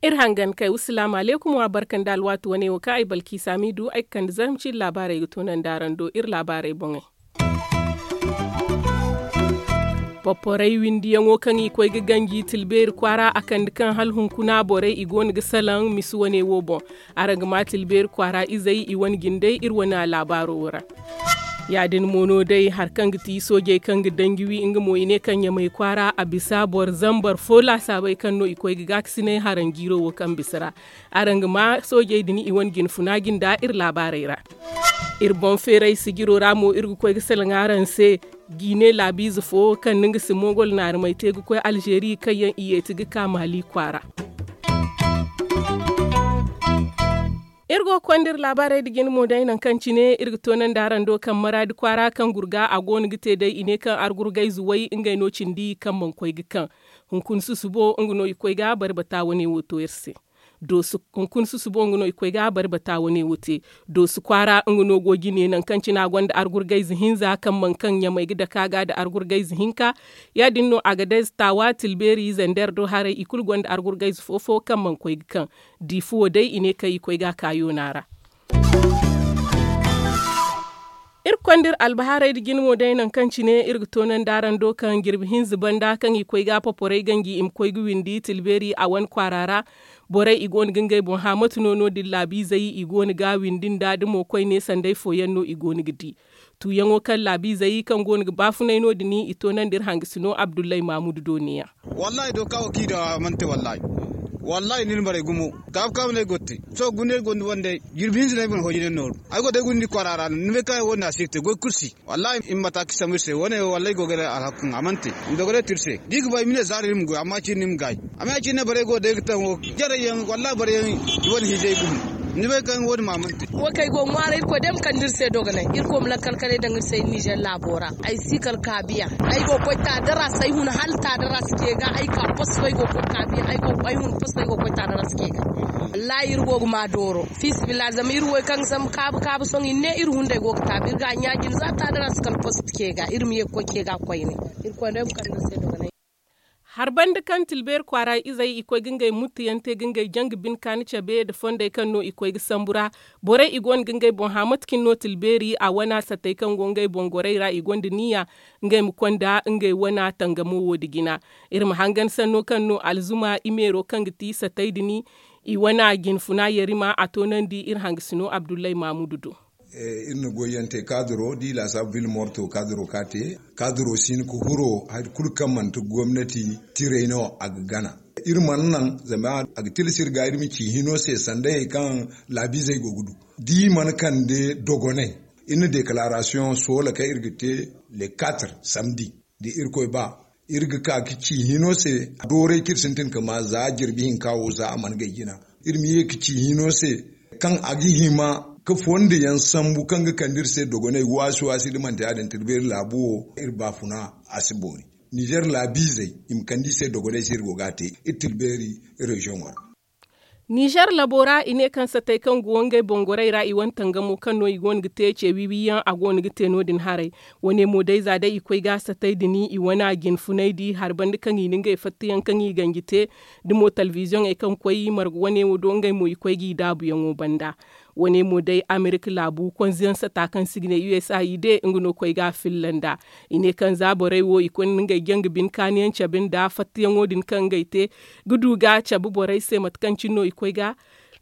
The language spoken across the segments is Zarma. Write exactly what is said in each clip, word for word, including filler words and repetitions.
Iri hangan kay wasalaamu aleykum wa barka nda alwaati wane wo kaŋ ay balki saamiidu ay ga kande zarma ciiri laabaarey ga toonandi araŋ do iri laabaarey boŋey. Poporey windiyaŋo kaŋ i koy ga ganji tilbeeri kwaara a kande kaŋ hala hunkuna borey i go no ga salaŋ misi wane wo boŋ. Araŋ ga ma tilbeeri kwaara izey i wane jindey iri wane laabaaro wo ra. Ya- din mo no day hari kaŋ ga ti soojey kaŋ ga danji wi nga mo i ne kaŋ ɲamay kwaara a bisa boro zambar fo laasaabey kaŋ no i koy ga gaakasinay haranjiiro wo kaŋ bisa ra. Araŋ ga ma soojey din i wane jinfuna jinda iri laabaarey ra. Iri boŋ feeray sijiro ra mo iri ga koy ga salaŋ araŋ se. Jiine laabiize fo kaŋ no nga si moogol naarumay te ga koy alzeeri kaŋ yaŋ i yeeti ga ka maali kwaara. Iri go ga konda iri laabaarey nda jine mo day nangu kaŋ cine iri ga toonandi araŋ do kaŋ maraadi kwaara kaŋ gurga a go no ga te day i ne kaŋ argurgayze way ngey no cindi kaŋ mana koy ga kaŋ. Hunkuna susubo nga no i koy ga barbata wane wo to iri se. Hunkuna susubo nga no i koy ga barbata wane wo te. Doosu kwaara nga no go jine nangu kaŋ cine a gonda argurgayze hinza kaŋ mana kaŋ ɲamay ga dake a ga nda argurgayze hinka. Ya- din no a ga dayze taawa tilbeeri zender do haray i kulu gonda argurgayze fo fo kaŋ mana koy ga kaŋ. Di fuwo day i ne kaŋ i koy ga a ka yoona ra. Iri konda iri albahaarey nda jine mo day nangu kaŋ cine iri ga toonandi araŋ do kaŋ jirbi hinza banda kaŋ i koy ga poporey ganji i ma koy ga windi tilbeeri a wane kwaara ra. Borey i go no ga ngey boŋ hã mate no no- din laabiizey i go no ga windi nda da mo koyne sanday fooyaŋ no i go no ga di. Tuuyaŋo kaŋ laabiizey kaŋ go no ga baafunay no- din i toonandi iri hangasino abdullahi maamudu do neeya. Wallaahi do kawo kaŋ i daŋ a mana te wallaahi. Wallaahi ni na barey gumo kaabu kaabu no ay go ga te. Sohõ guna ay gonda wandey jirbi hinza no ay mana hooji ne nooru. Ay go day guna ni kwaara ra no ni bay kaŋ ay wo- din a si ga te goy kulu si. Wallaahi i ma mata ka sambu iri se wane wo wallaahi ay go ga ne alhaku kaŋ a mana te. I ma dogonay te iri se da i ga ba i ma ne zaara iri ma goy amma ciini ni ma gaay. Amma ya- cine borey go day ga taŋ wo jarey yaŋ wallaahi borey yaŋ i wane hinzey gumo. Ni bay kaŋ wo- din ma a mana te. Wo kaŋ ay go ga ŋwaaray irkoy day ma kande iri se dogonay irkoy ma lakkal kanay daŋ iri se iri nizer laabo ra. Ay si kala kaabiya ay go ga koy taadaras ay hun hala taadaras ce ga ay ka posto ay go ga koy kaabiya ay hun posto ay go ga koy taadaras ce ga. Wallaahi iri go ga ma dooro fiisabilillahi zama iri wo kaŋ ga sambu kaabu kaabu sohõ i ne iri hunday go ga taabi iri ga a ɲaaji nda za taadaras kala posto ce ga iri ma ye ga koy ce ga koyne. Iri koy no ay ma kande iri se dogonay. Hari banda kaŋ tilbeeri kwaara izey i koy ga ngey muttuyaŋ te ga ngey janga bine kaani cabe nda fondey kaŋ no i koy ga sambu ra. Borey i go no ga ngey boŋ hã mate cine no tilbeeri a wana sattey kaŋ go ngey boŋ gorey ra i gonda niya ngey ma konda ngey wana tangamo wo- din jina. Iri ma hangan sanno kaŋ no alzuma i meero kaŋ ga ti sattey din i wana jinfuna yarima a toonandi iri hangasino abdullahi maamudu do. Iri na goyyaŋ te kaadiro da i laasaabu vil morto kaadiro ka te. Kaadiro si hin ga huro hari kulu kaŋ manti gomnati tiray no a ga gana. Iri mana naŋ zama a ga tilas iri ga iri ma ci hino se sanda hayey kaŋ laabiizey go ga du da i mana kande dogonay. Iri na deklaarasiyoŋ soola kaŋ iri ga te le quatre samdi da irkoy ba iri ga ka ga ci hino se. Dooray kaŋ iri sintin ga ma za jirbi hinka wo za a mana gay jina iri ma ye ga ci hino se kaŋ a ga hima ga fondo yaŋ sambu kaŋ ga kande iri se dogonay waasi waasi da manti ya- din tilbeeri laabu wo iri baafuna a si boori. Nizer laabiizey i ma kande i se dogonay se iri go ga a te iri tilbeeri reziyoŋo ra. Nizer labo ra i ne kaŋ satay kaŋ go ngey boŋ gorey ra i wane tangamo kaŋ no i go no ga te ce wiiwiiyaŋ a go no ga te no- din haray. Wane mo day za day i koy ga satay din i wane jinfunay di hari banda kaŋ i na ngey fattayaŋ kaŋ i ganji te da mo talbiziyoŋey kaŋ koy marga wane wo do ngey mo i koy ga i daabuyaŋo banda. Wane mo day amerika laabu konziyaŋ sata kaŋ si ga ne usa i de nga no koy ga a filla nd'a. I ne kaŋ za borey wo i koy na ngey janga bine kaaniyaŋ cabe nda fattayaŋo din kaŋ ngey te ga du ga cabe borey se mate kaŋ cine no i koy ga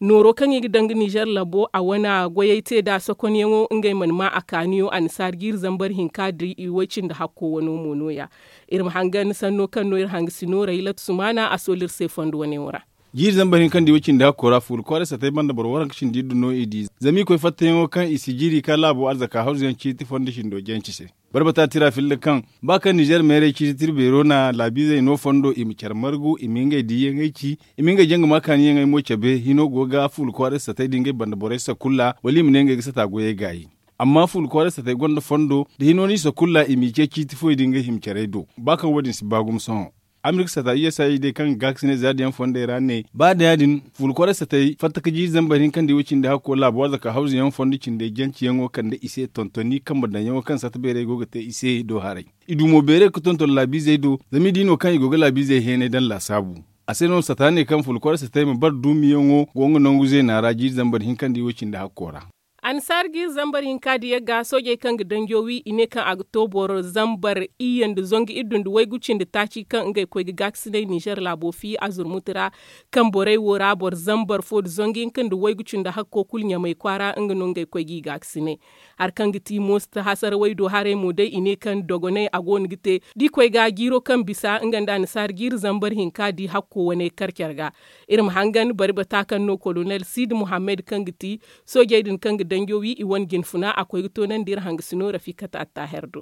nooro kaŋ i ga daŋ ga nizer labo a wane goyey te nd'a sokonyaŋo ngey mana ma a kaaniyo annasaara jiiri zambar hinka da i way cindi hakko wano mo no- ya. Iri ma hangan sanno kaŋ no iri hanga si nooray latu sumaana a soolu iri se fondo wane wo ra. Jiiri zambar hinka nda i way cindi hakko ra fuula kwaaray satay banda boro waranka cindi iri du no i di zama i koy fattayaŋo kaŋ i si jiiri ka laabo arzaka hawzuyaŋ ciiti fondo cindo janci se. Barbata tira filla kaŋ ba kaŋ nizer meerey ciiti tira beero na laabiizey no fondo i ma care margu i ma ngey diiyaŋey ci i ma ngey janga ma kaaniyaŋey mo cabe hino go ga fuula kwaaray satay da ngey banda borey sakulla wala i ma ne ngey ga sata goyey gaayi. Amma fuula kwaaray satay gonda fondo da hino no i sakulla i m'i ce ciiti fooyaŋ da ngey hima carey do ba kaŋ wo- din si ba gumo sohõ. Amerika sata usa day kaŋ ga gaakasinay zaari yaŋ fondey ra ne ba da ya- din fulu kwaray satey fatta ka jiiri zambar hinka nda i wo cindi hakko laabo arzaka hawzu yaŋ fondo cindey janci yaŋo kande i se tontoni kambe daŋ yaŋo kaŋ sata beeray go ga te i se do haray. I du mo beeray ga tonton laabiizey do zama i di no kaŋ i go ga laabiizey heenay daŋ laasaabu. A se no sata ne kaŋ fulu kwaray satey ma bare duumi yaŋo go nga nangu zeena ra jiiri zambar hinka nda i wo cindi hakko ra. Annasaara jiiri zambar hinka diya ga soojey kaŋ ga danjo wi i ne kaŋ a ga to boro zambar iyye nda zangu iddu nda waygu cindi taaci kaŋ ngey koy ga gaakasinay ninzeer laabo fi azurmuti ra. Kaŋ borey wo ra boro zambar fo nda zangu hinka nda waygu cindi hakko kulu ɲamay kwaara nga no ngey koy g'i gaakasinay. Hari kaŋ ga ti moosta hasarawey do haray mo day i ne kaŋ dogonay a go no ga te da i koy ga jiiro kaŋ bisa nga nda annasaara jiiri zambar hinka di hakko wane kar care ga. Iri ma hangan bari bata kaŋ no kolonel siidi muhammad kaŋ ga ti soojey din kaŋ ga danjo wi i wane jinfuna a koy ga toonandi iri hangasino rafikat attaaher do.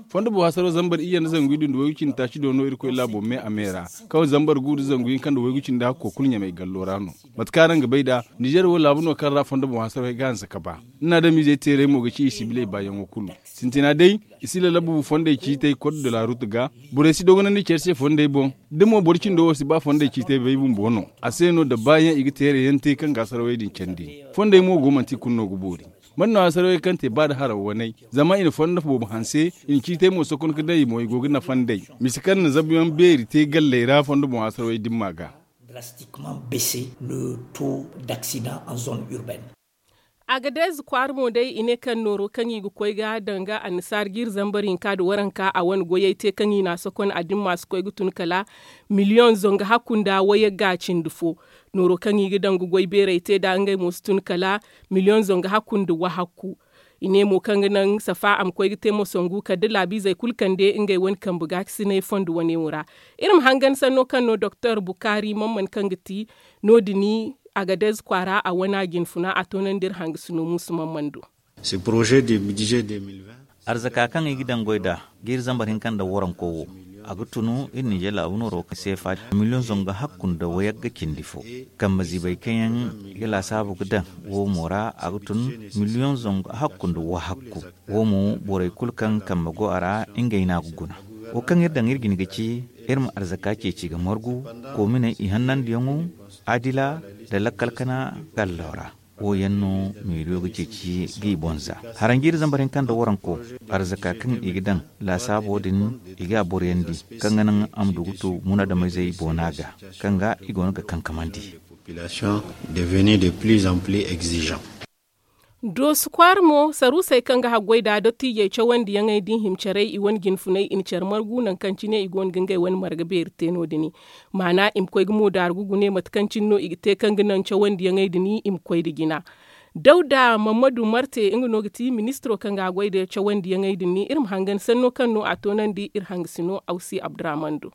Fondo boŋ hasaro zambar iyye nda zangu iddu nda waygu cindi taaci do no irkoy laabo me a me ra. Kaŋ zambar gu nda zangu hinka nda waygu cindi hakko kulu ɲamay gallo ra no. Mate kaŋ araŋ ga bay nd'a, ninzeer wo laabu no kaŋ ra fondo boŋ hasarey ga hanse ka ba. Ni na adamizey teerey mo ga ci i sibiley baayaŋo kulu. Sintina day, i si lalabu fondey ciitey kod de la ruut ga. Borey si dogonandi care se fondey boŋ. Da mo boro cindo wo si ba fondey ciitey bay bumbo no a se no da baayaŋ i ga teerey yaŋ te kaŋ ga hasarawey din candi. Fondey mo go manti i kulu no ga boori. Mate no hasarawey kaŋ te ba da haraw waney, zama i na fondo boobo hanse, i na ciitey mo sokon ga daŋ i mo i go ga nafa nd'ey. Misa kaŋ na zabuyaŋ beeri te galley ra fondo boŋ hasarawey dimma ga. Drastiquement baisser le taux d'accident en zone urbaine. Agadez kwaara mo day i ne kaŋ nooro kaŋ i ga koy ga danga annasaara jiiri zambar hinka nda waranka a wane goyey te kaŋ i na a sokon a dimma si koy ga tun kala miliyoŋ zangu hakku nda wayagga cindi fo. Nooro kaŋ i ga danga goy beerey te nd'a ngey mo si tun kala miliyoŋ zangu hakku nda wahakku. I ne mo kaŋ ga naŋ safa a ma koy ga te moso ngu kala da laabiizey kulu kande ngey wane kambe gaakasinay fondo wane wo ra. Iri ma hangan sanno kaŋ no doktor bukaari mamman kaŋ ga ti no- din agadez kwaara a wana jinfuna a toonandi iri hangasino muusu mamman do. Arzaka kaŋ i ga daŋ goy nd'a jiiri zambar hinka nda waranko wo, a ga tunu iri ninzeer laabu nooro seefa miliyoŋ zangu hakku nda wayagga cindi fo. Kambe ziibey kaŋ yaŋ i ga laasaabu ga daŋ wo mo ra a ga tun miliyoŋ zangu hakku nda wahakku. Wo mo borey kulu kaŋ kambe go a ra ngey no a ga guna. Wo kaŋ iri daŋ iri jine ga ci iri ma arzaka ceeci ga margu, koominey i hannandiyaŋo, adila nda lakkal kana gallo ra. Wo yaŋ no meeriyo ga ceeci ga i boŋ za. Haranjiiri zambar hinka nda waranko, arzaka kaŋ i ga daŋ laasaabo din, i ga a boroyandi kaŋ ga naŋ a ma du ga tu munaadamizey boona ga, kaŋ ga i go no ga kankamandi. Doosu kwaara mo saruusey kaŋ ga haggoy nd'a dottiijey cawandiyaŋey da i hima caray i wane jinfunay i na care margu nangu kaŋ cine i go no ga ngey wane marga beeri te no- din. Maana i ma koy ga moodaaru ga gune mate kaŋ cine no i ga te kaŋ ga naŋ cawandiyaŋey din i ma koy nda jina. Dawda mammadu marte nga no ga ti ministiro kaŋ ga a goy nda cawandiyaŋey din iri ma hangan sanno kaŋ no a toonandi iri hangasino awsi abdurahman do.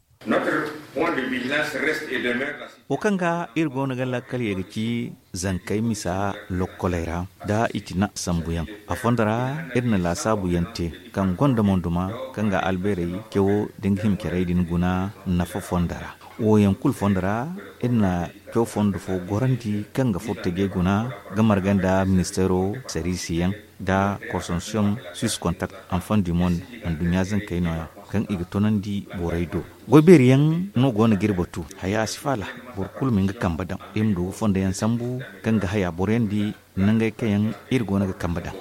Wo kaŋ ga iri go no ga lakkal ye ga ci zankey misa lokkoley ra nda i ti na sambuyaŋ. A fondo ra iri na laasaabuyaŋ te kaŋ gonda monduma kaŋ ga albeerey cawo da nga hima carey din guna nafa fondo ra. Wo yaŋ kulu fondo ra iri na caw fondo fo gorandi kaŋ ga furo tajey guna ga marga nda ministeero sariisiyaŋ nda konsorsiyoŋ suisse contact enfant du monde anduɲɲa zankey nooya kaŋ i ga toonandi borey do. Goy beeri yaŋ no go no ga iri batu haya si faala boro kulu ma nga kambe daŋ iri ma du ga fondo yaŋ sambu kaŋ ga haya boroyandi nangey kaŋ yaŋ iri go no ga kambe daŋ.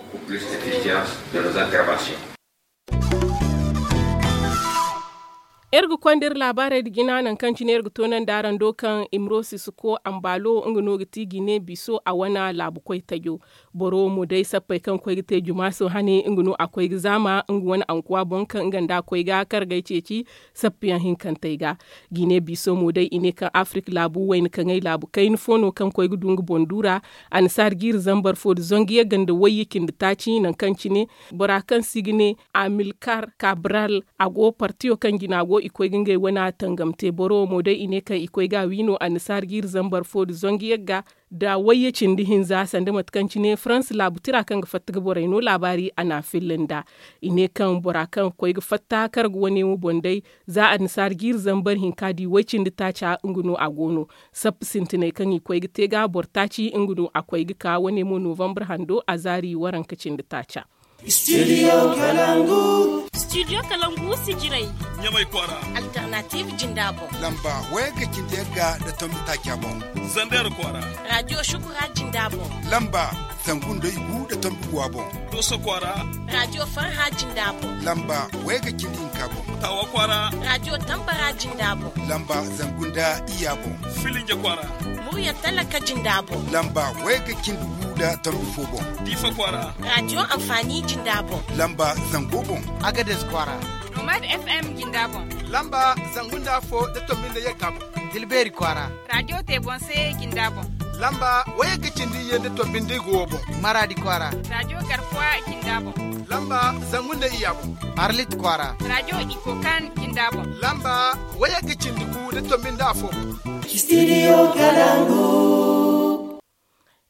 Iri ga konda iri laabaarey nda jina nangu kaŋ cine iri ga toonandi araŋ do kaŋ imrosi suko ambaalo nga no ga ti jine biiso a wane laabu koy tajo. Boro wo mo day sappey kaŋ koy ga te jumaaso hane nga no a koy ga zaama nga wane ankuwa boŋ kaŋ nga nda a koy ga kargey ceeci sappiyaŋ hinkantey ga. Jine biiso mo day i ne kaŋ afirik laabu wayna kaŋey laabu kayna fo no kaŋ koy ga du nga boŋ duura. Annasaara jiiri zambar fo nda zangu yagga nda wayye cindi taaci nangu kaŋ cine bora kaŋ se i ga ne amilkar kabral a go partiyo kaŋ jina go i koy ga ngey wane tangam te boro wo mo day i ne kaŋ i koy ga a wi no annasaara jiiri zambar fo nda zangu yagga nda wayye cindi hinza sanda mate kaŋ cine faransa laabu tira kaŋ ga fatta ga borey no laabaari a na a filla nd'a. I ne kaŋ bora kaŋ ga koy ga fatta karga wane wo boŋ day za annasaara jiiri zambar hinka di way cindi taaca nga no a go no. Sappa sintinay kaŋ i koy ga te ga boro taaci nga no a koy ga ka wane mo novambar hando a zaari waranka cindi taaca. Studio Kalangu. Studio Kalangu sijirey. Ɲamay kwaara. Alternative jinda boŋ. Lamba wayagga cindi yagga nda tombi taaca boŋ. Zander kwaara. Radio Shukura jinda boŋ. Lamba zangu nda igu nda tombi guwa boŋ. Doso kwaara. Radio Farha jinda boŋ. Lamba wayagga cindi hinka boŋ. Tawa kwaara. Radio Tambara jinda boŋ. Lamba zangu nda iyya boŋ. Filinja kwaara. Murya talaka jinda boŋ. Lamba wayagga cindi gu nda tombi fo boŋ. Difa kwaara. Radio Amfani jinda boŋ. Lamba zango boŋ. Agades kwaara. Nomad F M jinda boŋ. Lamba zangu nda afo nda tombi nda yagga boŋ. Tilbeeri kwaara. Radio Tebonse jinda boŋ. Lamba wayagga cindi iyye nda tombi nda igu wo boŋ. Maradi kwaara. Radio Garkuwa jinda boŋ. Lamba zangu nda iyya boŋ. Arlit kwaara. Radio Ikokan jinda boŋ. Lamba wayagga cindi gu nda tombi nda afo boŋ. Studio Kalangu.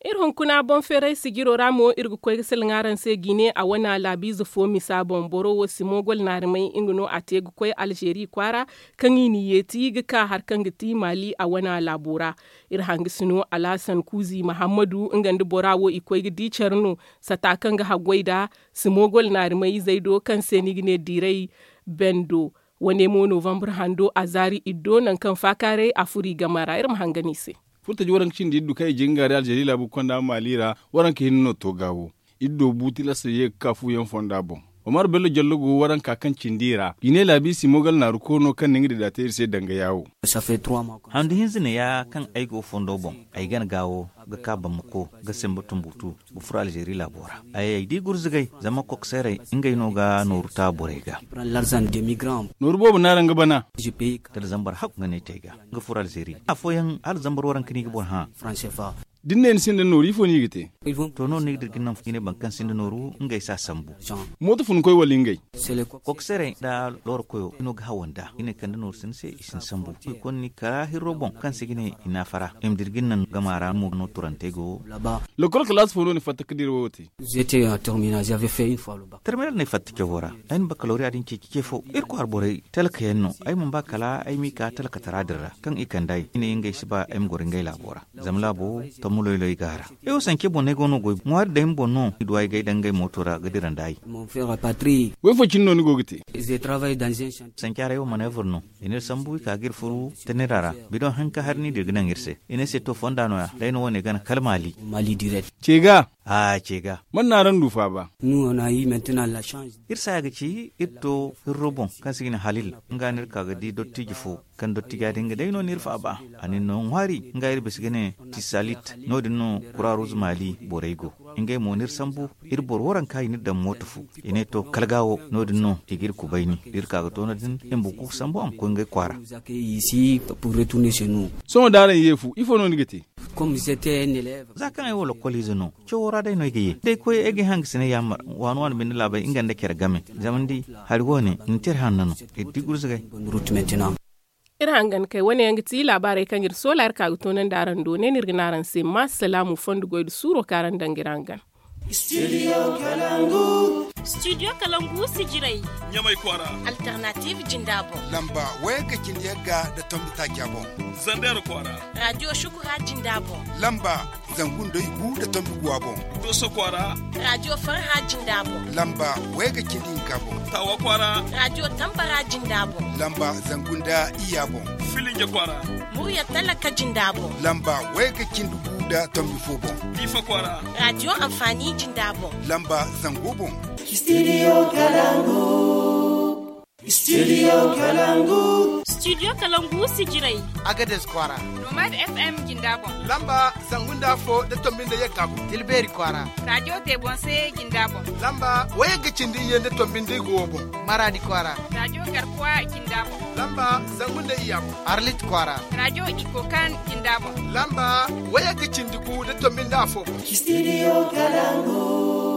Iri hunkuna boŋ feeray sijiro ra mo, iri ga koy ga salaŋ araŋ se Gine a wane laabiize fo misa boŋ. Boro wo si mo gol naari may, nga no a te ga koy Alzeeri kwaara, kaŋ i n'i yeeti ga ka hari kaŋ ga ti Maali a wane laabo ra. Iri hangasino Alhasan Kuuzi Mahammadu, nga nda bora wo i koy ga di care no, sata kaŋ ga haggoy nd'a, si mo gol naari may izey do, kaŋ se ni ga ne Diray Bendo. Wane mo Novambar hando a zaari iddo, nangu kaŋ faakaaray a furo i game ra. Iri ma hangan i se. Furtaji waranka cindi iddu kaŋ i jin ga ri Alzeeri laabu ga konda Maali ra, waranka hinne no to gaawo. Iddo bu tilas ye ga ka fuyaŋ fonda boŋ. Omar Bello Jallo go waranka kaŋ cindi i ra. Gine laabi si mo gala naaru koono kaŋ na nga dida te iri se danga yaawo. Handu hinza ne ya kaŋ ay go fondo boŋ. Ay gana gaawo ga ka Bamako ga semba Tumbutu ga furo Alzeeri laabo ra. Ay di gurzugay zama kokseerey ngey no ga nooru ta borey ga. Nooru boobo no araŋ ga bana. Tala zambar hakku ga ne te ga nga furo Alzeeri afooyaŋ hala zambar waranka no i ga boro hã. Da ni ne ni sinda nooru ifo no i ga te? To no ni ga dira ga naŋ fo ga ne boro kaŋ sinda nooru ngey si a sambu. Mooto fun koy wala ngey? Kokseerey nda looro koyo i no ga hawa nd'a i ne kande nooru sinda se i si ni sambu. Koy konda ni kara hirro boŋ kaŋ se ga ne i naafara i ma dira ga naŋ gama ra mo no turantey go. Lokol kalaasi fo no ni fatta ga dira wo te? Terminal no ay fatta cawo ra. Ay na bakalooriya din ceeci ce fo iri kwaara borey talkayaŋ no ay mana ba kala ay m'i ka talkatara din ra kaŋ i kand'ay i ne ngey si ba ay ma goro ngey laabo ra. Zama laabo tommo loyloy go a ra. Ay wo sanke boŋ no ay go no goy ŋwaari day ma boŋ no i du ay ga ay daŋ ngey mooto ra ga dira nda ay. Woy fo cine no ni go ga te? Sanke haray wo maneevar no. I n'iri sambu i ka ga iri furu tanira ra. Bidoŋ hanka hari no i dira ga naŋ iri se i ne se to fonda nooya day no wane gana kala maali. Ce ga. A ce ga. Man no araŋ du faaba? Iri saaya ga ci iri to hirro boŋ kaŋ se ga ne halil. Nga no iri ka ga di dottijo fo kaŋ dottijo din ga day no n'iri faaba. A n'iri no ŋwaari nga iri bisa ga ne tisalit. No- din no kuraaruz maali borey go. Ngey mo n'iri sambu iri boro waranka i n'iri daŋ mooto fo. I ne to kala ga wo no- din no i ga iri kubayni da iri ka ga to no- din i ma buku ga sambu a ma koy ngey kwaara. Sohõ da araŋ ye fu ifo no ni ga te? Za kaŋ ay wo lokoliize no cawo ra day no ay ga ye da ay koy ay ga ay hangasiney yaamar waani waani binde laabey nga nda care game. Zama ni di hari wo- ne ni te iri hanno no iri di gurzugay. Iri hangan kay wane yaŋ ga ti laabaarey kaŋ iri soola iri ka ga toonandi araŋ do ne no iri ga ne araŋ se ma salaamu fondo goy nda suuro kaŋ araŋ daŋ ga iri hangan. Studio kalangu sijirey. Ɲamay kwaara. Alternative jinda boŋ. Lamba wayagga cindi yagga nda tombi taaca boŋ. Zander kwaara. Radio shukura jinda boŋ. Lamba zangu nda igu nda tombi guwa boŋ. Doso kwaara. Radio farha jinda boŋ. Lamba wayagga cindi hinka boŋ. Tawa kwaara. Radio tambara jinda boŋ. Lamba zangu nda iyya boŋ. Filinja kwaara. Murya talaka jinda boŋ. Lamba wayagga cindi gu nda tombi fo boŋ. Difa kwaara. Radio amfani jinda boŋ. Lamba zango boŋ. Studio kalangu. Studio kalangu. Studio kalangu sijirey. Agades kwaara. Nomad F M jinda boŋ. Lamba zangu nda afo nda tombi nda yagga boŋ. Tilbeeri kwaara. Radio tebonse jinda boŋ. Lamba wayagga cindi iyye nda tombi nda igu wo boŋ. Maradi kwaara. Radio garkuwa jinda boŋ. Lamba zangu nda iyya boŋ. Arlit kwaara. Radio ikokan jinda boŋ. Lamba wayagga cindi gu nda tombi nda afo boŋ. Studio kalangu.